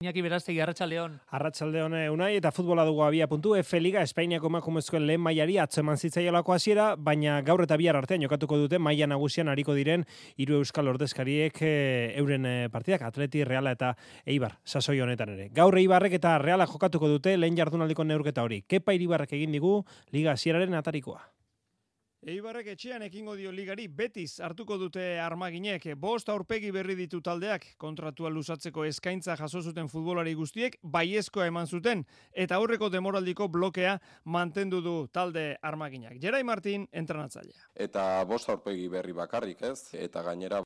Iñaki Berastegi, arratsaldeon. Arratsaldeon Unai, eta futbola dugu abia puntu. F Liga Espainiako emakumezkoen lehen mailari atzo eman zitzaiolako hasiera, baina gaur eta bihar artean jokatuko dute maila nagusian ariko diren hiru euskal ordezkariek euren partidak, Atleti, Reala eta Eibar, sasoi honetan ere. Gaur Eibarrek eta Reala jokatuko dute lehen jardunaldiko neurketa hori. Kepa Iribarrek egin digu Liga hasieraren atarikoa. Eibarrek etxean ekingo dio ligari Betis hartuko dute armaginek. 5 aurpegi berri ditu taldeak, kontratua luzatzeko eskaintza jaso zuten futbolari guztiek baiezkoa eman zuten eta aurreko demoraldiko blokea mantendu du talde armaginak. Gerai Martin, entrenatzailea. Eta 5 aurpegi berri bakarrik, ez? Eta gainera,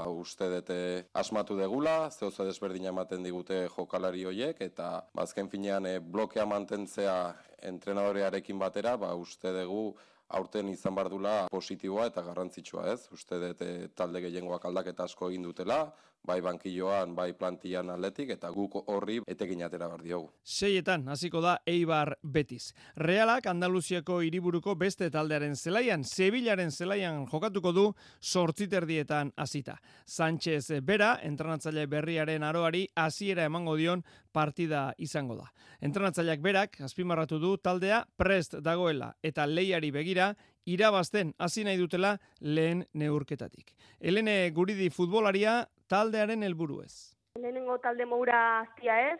uste dute asmatu degula, zehoza desberdina ematen digute jokalari hoiek, eta azken finean blokea mantentzea entrenadorearekin batera, uste dugu aurten izan bardula positiboa eta garrantzitsua, ez? Uste dut talde gehiengoak aldaketa asko egin dutela, bai bankilloan, bai plantillan atletik, eta guk horri etekin atera behar diogu. 6etan hasiko da Eibar Betis. Realak Andaluziako hiriburuko beste taldearen zelaian, Sevillaren zelaian jokatuko du 8:30 hasita. Sánchez bera, entrenatzaile berriaren aroari hasiera emango dion partida izango da. Entrenatzaileak berak azpimarratu du taldea prest dagoela eta lehiari begira irabazten hasi nahi dutela lehen neurketatik. Helene Guridi futbolaria taldearen helburu ez. Lehenengo talde moura aztia ez,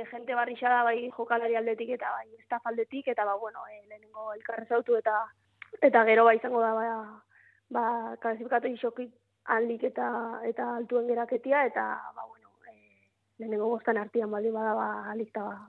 jente barrixa da bai jokalari aldetik eta bai estaf aldetik, eta lehenengo elkarrezautu eta gero izango da klasifikatu isokik handik eta altuen geraketia, eta lehenengo bostan artian baldin bada alikta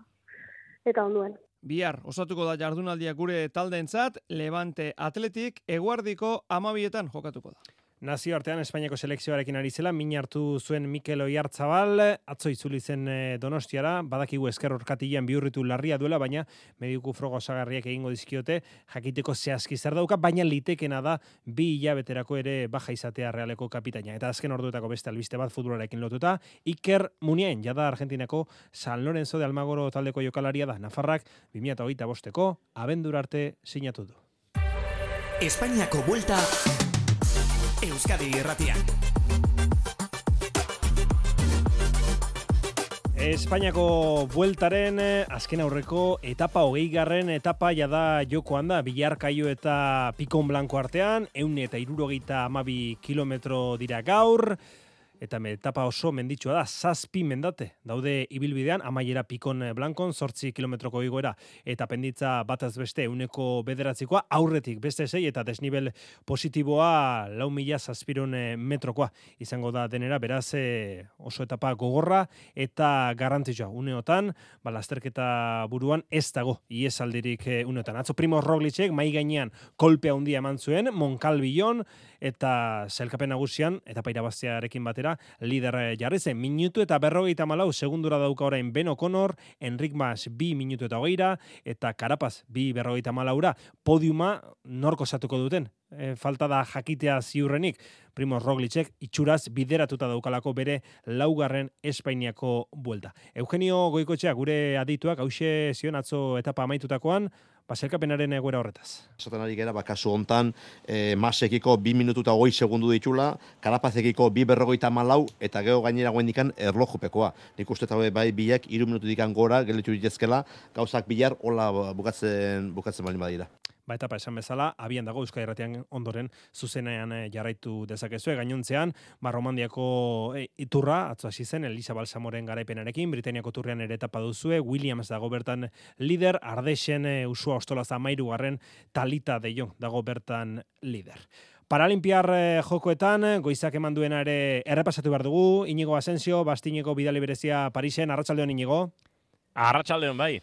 eta onduen. Bihar osatuko da jardunaldia gure taldeentzat, Levante Atletik eguardiko 12etan jokatuko da. Nazioartean Espainiako selekzioarekin ari zela, min hartu zuen Mikel Oyarzabal, atzo itzuli zen Donostiara, badakigu esker orkatilan bihurritu larria duela, baina mediku froga osagarriak egingo dizkiote, jakiteko zehazki zer dauka, baina litekena da 2 hilabeterako ere baja izatea Realeko kapitaina. Eta azken orduetako beste albiste bat futbolarekin lotuta, Iker Muniain, jada Argentinako San Lorenzo de Almagoro taldeko jokalaria da, Nafarrak 2025ko abendura arte sinatu du. Espainiako buelta Euskadi irratian. Espainiako bueltaren azken aurreko etapa 20. etapa jada jokoan da, Bilarkaio eta Pikon Blanko artean, 162 kilometro dira gaur, eta etapa oso menditsua da, 7 mendate daude ibilbidean, amaiera Pikon Blankon, 8 kilometroko igoera, eta penditza bataz beste 109koa, aurretik beste 6, eta desnibel positiboa 4.000 metrokoa izango da denera, beraz oso etapa gogorra eta garrantzitsua. Uneotan, lasterketa buruan ez dago iesaldirik uneotan. Atzo Primoz Roglicek mai gainean kolpea handia eman zuen, Monkalbillon, eta sailkapen nagusian, etapa irabaztearekin batera, lider jarri zen, minutu eta 54 segundura dauka orain Ben O'Connor, Enric Mas 2 minutu eta 20, eta Carapaz 2:54, podiuma nork osatuko duten. Falta da jakitea ziurrenik, Primoz Roglicek itxuraz bideratuta daukalako bere 4. Espainiako buelta. Eugenio Goikoetxea gure adituak hauxe zion atzo etapa amaitutakoan, sailkapenaren egoera horretaz. Esaten ari gara, kasu hontan, Masekiko 2 minutu eta 20 segundu ditula, Karapazekiko 2:54, eta gero gainera guendikan erlojupekoa. Nik uste eta bai biak 3 minutu dikan gora, gelitu ditezkela, gauzak bihar hola bukatzen baldin badira. Etapa esan bezala, abian dago Euskadi Irratian ondoren zuzenean jarraitu dezakezue. Gainontzean, Romandiako iturra, atzo hasi zen, Elisa Balsamoren garaipenarekin, Britaniako turrean ere etapa duzue, Williams dago bertan lider, Ardeixen Usua Ostolaza 13, Talita de Jong dago bertan lider. Paralimpiar jokoetan, goizak eman duena ere errepasatu behar dugu, Inigo Asensio, Bastineko bidali berezia Parisen, arratsaldeon Inigo. Arratsaldeon bai.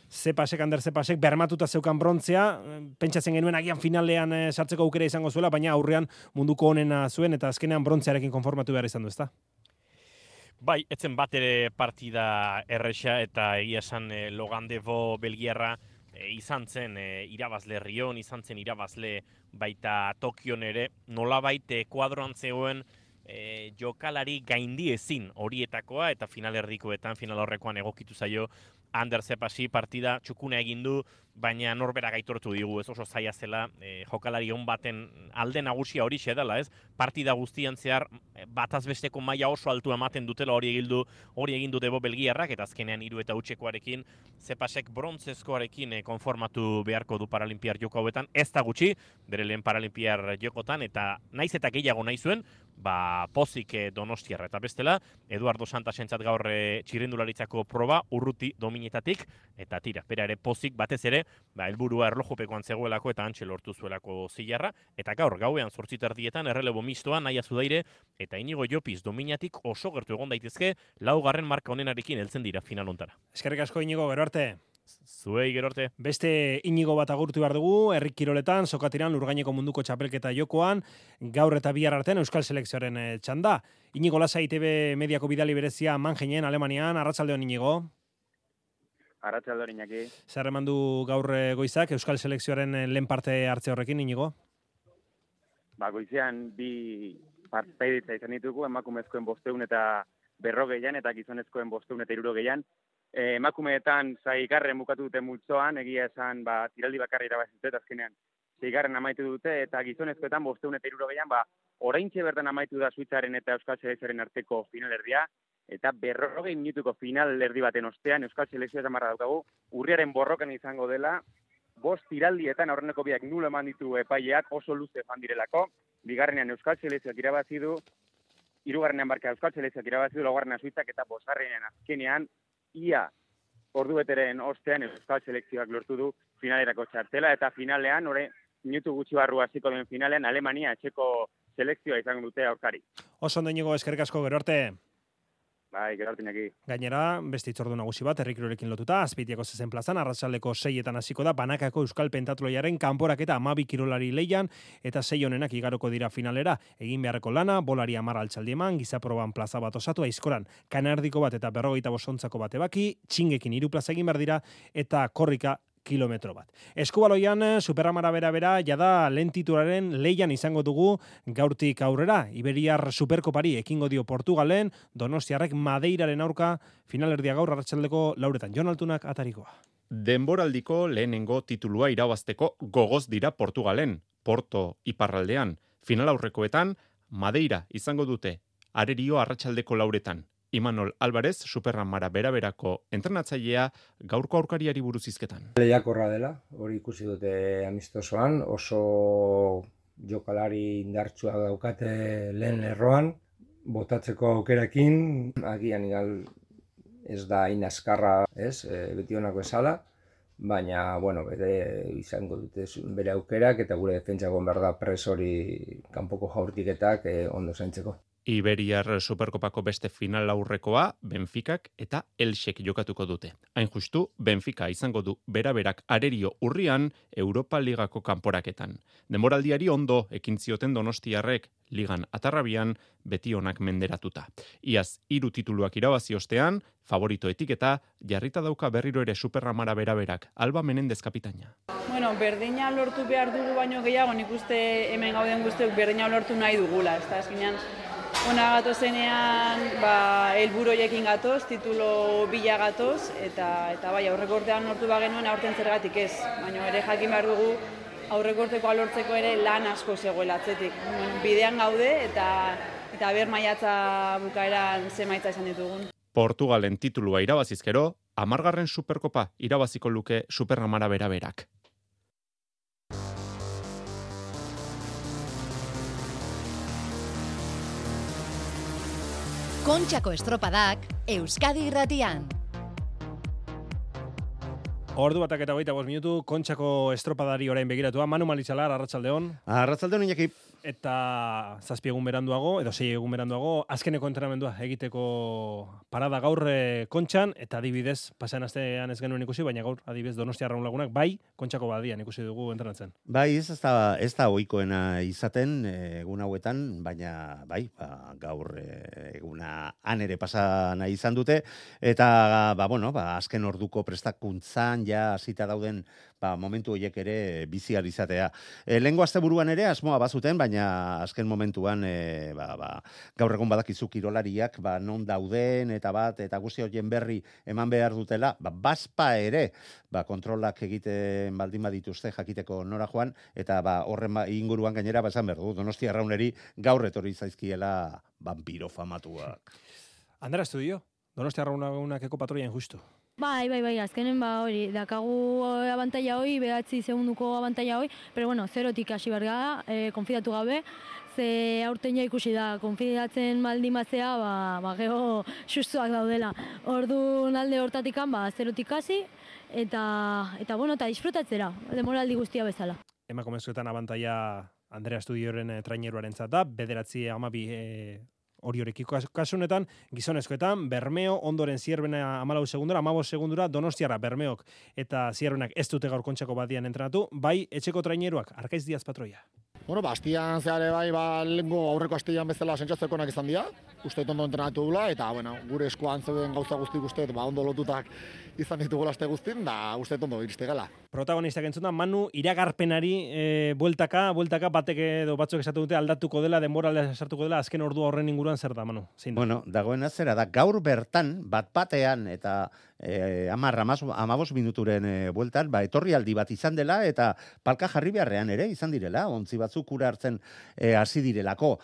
Ander Zepasek bermatuta zeukan brontzea, pentsatzen genuen agian finalean sartzeko aukera izango zuela, baina aurrean munduko onena zuen eta azkenean brontzearekin konformatu behar izan du, ezta? Bai, etzen bat ere partida erresa eta egia esan Logan Devo belgiarra izan zen irabazle Rion, izan zen irabazle baita Tokion ere, nolabait kuadroan zegoen jokalari gaindi ezin horietakoa, eta finalerdikoetan, final horrekoan egokitu zaio Ander Zepasi partida txukuna egin du, baina norberak aitortu digu, ez oso zaila zela, jokalari on baten alde nagusia hori dela, ez? Partida guztian zehar bataz besteko maila oso altu ematen dutela hori egin du Debo belgiarrak, eta azkenean 3-2 Zepasek brontzezkoarekin konformatu beharko du Paralimpiar joko hauetan, ez da gutxi, bere lehen Paralimpiar jokotan, eta naiz eta gehiago nahi zuen, pozik Donostiarra, eta bestela, Eduardo Santasentzat gaur txirrindularitzako proba, urruti dominetatik, eta tira, bera ere pozik batez ere, helburua erlojupekoan zegoelako eta antxe lortu zuelako zilarra, eta gaur gauean 8:00 errelebo mistoa Naia Zudaire eta Inigo Llopis dominatik oso gertu egon daitezke, 4. marka honenarekin heltzen dira final hontara. Eskerrik asko Inigo, gero arte. Zuei, gero arte. Beste Inigo bat agurtu behar dugu, herri kiroletan, sokatiran, Lurgaineko munduko txapelketa jokoan, gaur eta bihar artean Euskal Selekzioaren txanda. Inigo Lasai ITV mediako bidali berezia Mangenen, Alemanian, arratsaldeon Inigo. Arratsaldeon Iñaki. Zer eman du gaur goizak Euskal Selekzioaren lehen parte hartze horrekin, Inigo? Goizean bi partiditza izan ditugu, emakumezkoen 500 eta 40 eta gizonezkoen 500 eta 60. Emakumeetan 6. bukatu dute multzoan, egia esan tiraldi bakarra irabazi dute, azkenean 6. amaitu dute, eta gizonezkoetan 500 eta 60 oraintxe bertan amaitu da Suitzaren eta Euskal Selekzioaren arteko finalerdia, eta 40 minutuko finalerdi baten ostean Euskal Selekzioa zamarra daukagu, urriaren borrokan izango dela, 5 tiraldietan aurreneko biak 0 eman ditu epaileak, oso luze fan direlako, bigarrenean Euskal Selekzioak irabazi du, 3. Euskal Selekzioak irabazi du, 4. Suitzak eta 5. azkenean, ia ordubeteren ostean Euskal Selekzioak lortu du finalerako txartela, eta finalean, minutu gutxi barru hasiko den finalean, Alemania etxeko selekzioa izango dute aurkari. Oso ondo Inigo, eskerrik asko, gero arte. Gero arte Iñaki. Gainera, beste hitzordu nagusi bat, herrikirolekin lotuta, Azpeitiako 6 plazan, arratsaldeko 6etan hasiko da, banakako Euskal Pentatloiaren kanporaketa 12 kirolari leian, eta 6 honenak igaroko dira finalera. Egin beharreko lana, bolari 10 altxaldi eman, gizaproban plaza bat osatu, aizkoran, kanardiko bat eta 45 ontzako bat ebaki, txingekin 3 plaza egin behar dira, eta korrika kilometro bat. Eskubaloian, Superamara bera, jada lehen titularen leian izango dugu gaurtik aurrera. Iberiar Superkopari ekingo dio Portugalen, Donostiarrek Madeiraren aurka finalerdia gaur arratsaldeko 4etan. Jon Altunak atarikoa. Denboraldiko lehenengo titulua irabazteko gogoz dira Portugalen, Porto iparraldean. Final aurrekoetan, Madeira izango dute, arerio arratsaldeko 4etan. Imanol Álvarez, Superamara beraberako entrenatzailea, gaurko aurkariari buruz hizketan. Lehiakorra dela, hori ikusi dute amistosoan, oso jokalari indartsua daukate lehen lerroan, botatzeko aukerakin, agian ez da inazkarra, beti honako esala, baina, bere izango dute bere aukerak, eta gure defentsako behar da pres hori kanpoko jaurtiketak ondo zaintzeko. Iberiar Superkopako beste final aurrekoa Benficak eta Elxek jokatuko dute. Hain justu, Benfica izango du beraberak arerio urrian Europa Ligako kanporaketan. Denboraldiari ondo ekin zioten Donostiarrek ligan atarrabian beti onak menderatuta. Iaz 3 tituluak irabazi ostean, favorito etiketa jarrita dauka berriro ere Superamara beraberak, Alba Menendez kapitaina. Berdina lortu behar dugu baino gehiago, nik uste hemen gauden guztiok berdina lortu nahi dugula, ez da, azkenean ona gatozenean, helburu horiekin gatoz, titulo bila gatoz, eta aurreko urtean lortu bagenuen aurten zergatik ez. Baina ere jakin behar dugu aurreko urtekoa lortzeko ere lan asko zegoela atzetik. Bidean gaude eta ber maiatza bukaeran zemaitza izan ditugun. Portugalen titulua irabazizkero, 10. Superkopa irabaziko luke Superamara beraberak. Kontxako estropadak Euskadi Irratian. Ordu batak eta 25 minutu, Kontxako estropadari orain begiratua. Manu Malitzalar, arratsaldeon. Arratsaldeon Iñaki. Eta 7 egun beranduago, edo 6 egun beranduago, azkeneko entrenamendua egiteko parada gaur Kontxan, eta adibidez, pasan astean ez genuen ikusi, baina gaur adibidez Donostia Arraun Lagunak, bai, Kontxako badian ikusi dugu entrenatzen. Bai, ez da ohikoena izaten egun hauetan, baina bai, gaur eguna han ere pasa nahi izan dute, eta azken orduko prestakuntzan bertan ja hasita dauden momentu horiek ere biziar izatea. Lehengo asteburuan ere asmoa bazuten, baina azken momentuan gaur egun badakizu kirolariak non dauden eta guzti horien berri eman behar dutela, bazpa ere kontrolak egiten baldin badituzte jakiteko nora joan, eta horren inguruan gainera esan behar du, Donostia Arrauneri gaur etorri zaizkiela vampiro famatuak. Andera Estudio, Donostia Arraunak eko patroian justu. Bai, azkenen hori, dakagu abantaila hoi, 9 segunduko abantaila hoi, pero bueno, zerotik hasi berga, konfidatu gabe, ze aurten ja ikusi da, konfidatzen maldimazea, geho sustuak daudela. Orduan alde hortatikan, zerotik hasi, eta disfrutatzera, demoraldi guztia bezala. Emakumezkoetan abantaila Andrea Estudioren traineruaren zata, 9-12 hori horrekiko kasunetan, gizonezkoetan, Bermeo, ondoren Zierbena 14 segundura, 15 segundura, Donostiarra, Bermeok eta Zierbenak ez dute gaur kontxako badian entrenatu, bai etxeko traineruak, Arkaiz Diaz patroia. Astian zehare lehenko aurreko astian bezala sentsatzekonak izan dira, uste ondo entrenatu dula, eta gure eskuan zeuden gauza guztik uste, ondo lotutak izan ditugula aste guztin, da uste ondo iriste gala. Protagonistak entzuna, Manu iragarpenari bueltaka batek edo batzuk esatu dute aldatuko dela, denbora sartuko dela, azken ordua horren inguruan zer da, Manu? Bueno, dagoen zera da, gaur bertan, bat-batean eta 10-15 minuturen bueltan, etorri aldi bat izan dela, eta palka jarri beharrean ere izan direla, ontzi batzuk kura hartzen hasi direlako.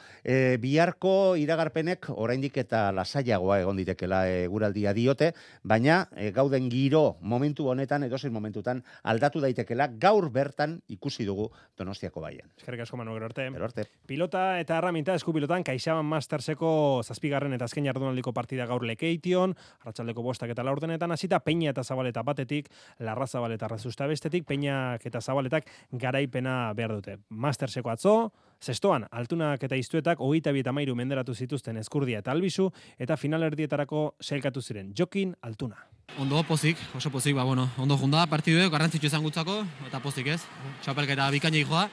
Biharko iragarpenek oraindik eta lasaiagoa egon ditekela eguraldia diote, baina gauden giro momentu honetan, edozein momentutan aldatu daitekela, gaur bertan ikusi dugu Donostiako baian. Eskerrik asko, Manu, gero arte. arte. Pilota eta erraminta eskupilotan, CaixaBank Masterseko 7. eta azken jardunaldiko partida gaur Lekeition, arratsaldeko 5 eta 4 hasita, Peña eta Zabaleta batetik, Larra Zabaleta Razusta bestetik, Peñak eta Zabaletak garaipena behar dute. Masterseko atzo, zestoan, Altunak eta Iztuetak 22 menderatu zituzten Ezkurdia eta Albizu, eta finalerdietarako sailkatu ziren Jokin Altuna. Ondo pozik, oso pozik, ondo junda partiduek, garrantzitsu izan gutzako, eta pozik ez. Txapelketa bikaina joa,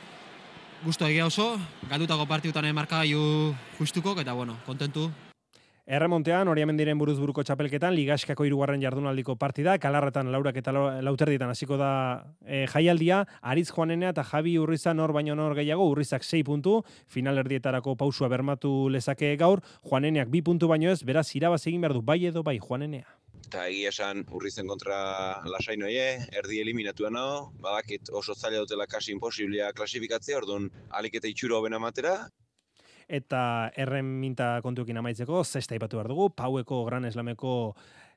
gustu egia oso, galdutako partidutan markagailu justuko, eta kontentu. Erremontean, Oriamendiren buruzburuko txapelketan, Ligaskako 3. jardunaldiko partida, Kalarretan Laurak eta Lauterdietan hasiko da jaialdia, Aritz Juanenea eta Javi Urriza nor baino nor gehiago, Urrizak 6 puntu, finalerdietarako pausua bermatu lezake gaur, Juaneneak 2 puntu baino ez, beraz irabaz egin behar du, bai edo bai Juanenea. Eta egia esan Urrizen kontra lasai noie, erdi eliminatua nao, badakit oso zaila dutela kasi imposiblia klasifikatzea, orduan alik eta itxuro hobena matera. Eta erreminta kontuekin amaitzeko, zesta ipatu behar dugu, Paueko Gran Eslameko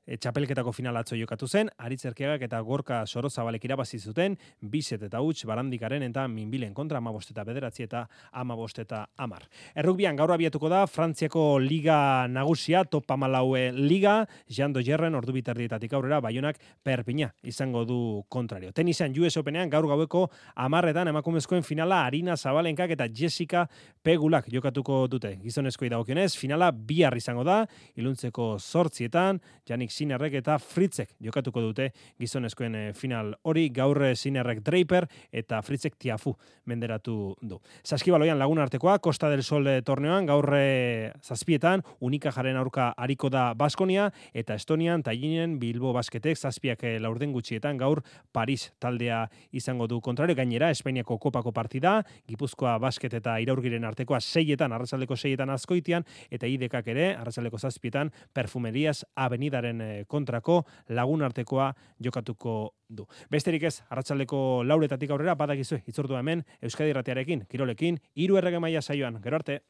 txapelketako finala atzo jokatu zen, Aritz Erkiagak eta Gorka Sorozabalek irabazi zuten, 2 eta huts Barandikaren eta Minbilen kontra 15 eta 9 eta 15 eta 10. Errukbian gaur abiatuko da Frantziako Liga nagusia, Top 14 Liga, Jean Dojerren ordu bitardietatik aurrera, Baionak Perpina izango du kontrario. Tenisean US Openean gaur gaueko 10etan emakumezkoen finala Arina Zabalenkak eta Jessica Pegulak jokatuko dute. Gizonezkoi dagokionez, finala bihar izango da, iluntzeko 8etan, Janik Sinerrek eta Fritzek jokatuko dute gizonezkoen final hori, gaur Sinerrek Draper eta Fritzek Tiafu menderatu du. Saskibaloian Lagun artekoa, Costa del Sol torneoan, gaur 7etan, Unikajaren aurka ariko da Baskonia, eta Estonian, Tallinen, Bilbo Basketek, 7 laurden gutxietan, gaur Paris taldea izango du kontrario, gainera, Espainiako kopako partida, Gipuzkoa Basket eta Iraurgiren artekoa 6etan, arratsaldeko 6etan Azkoitian, eta IDKak ere, arratsaldeko 7etan, Perfumerias Avenidaren kontrako Lagun artekoa jokatuko du. Besterik ez, arratsaldeko 4etatik aurrera, badakizu, hitzordua hemen, Euskadi Irratiarekin, Kirolekin, 3 errege maila saioan. Gero arte.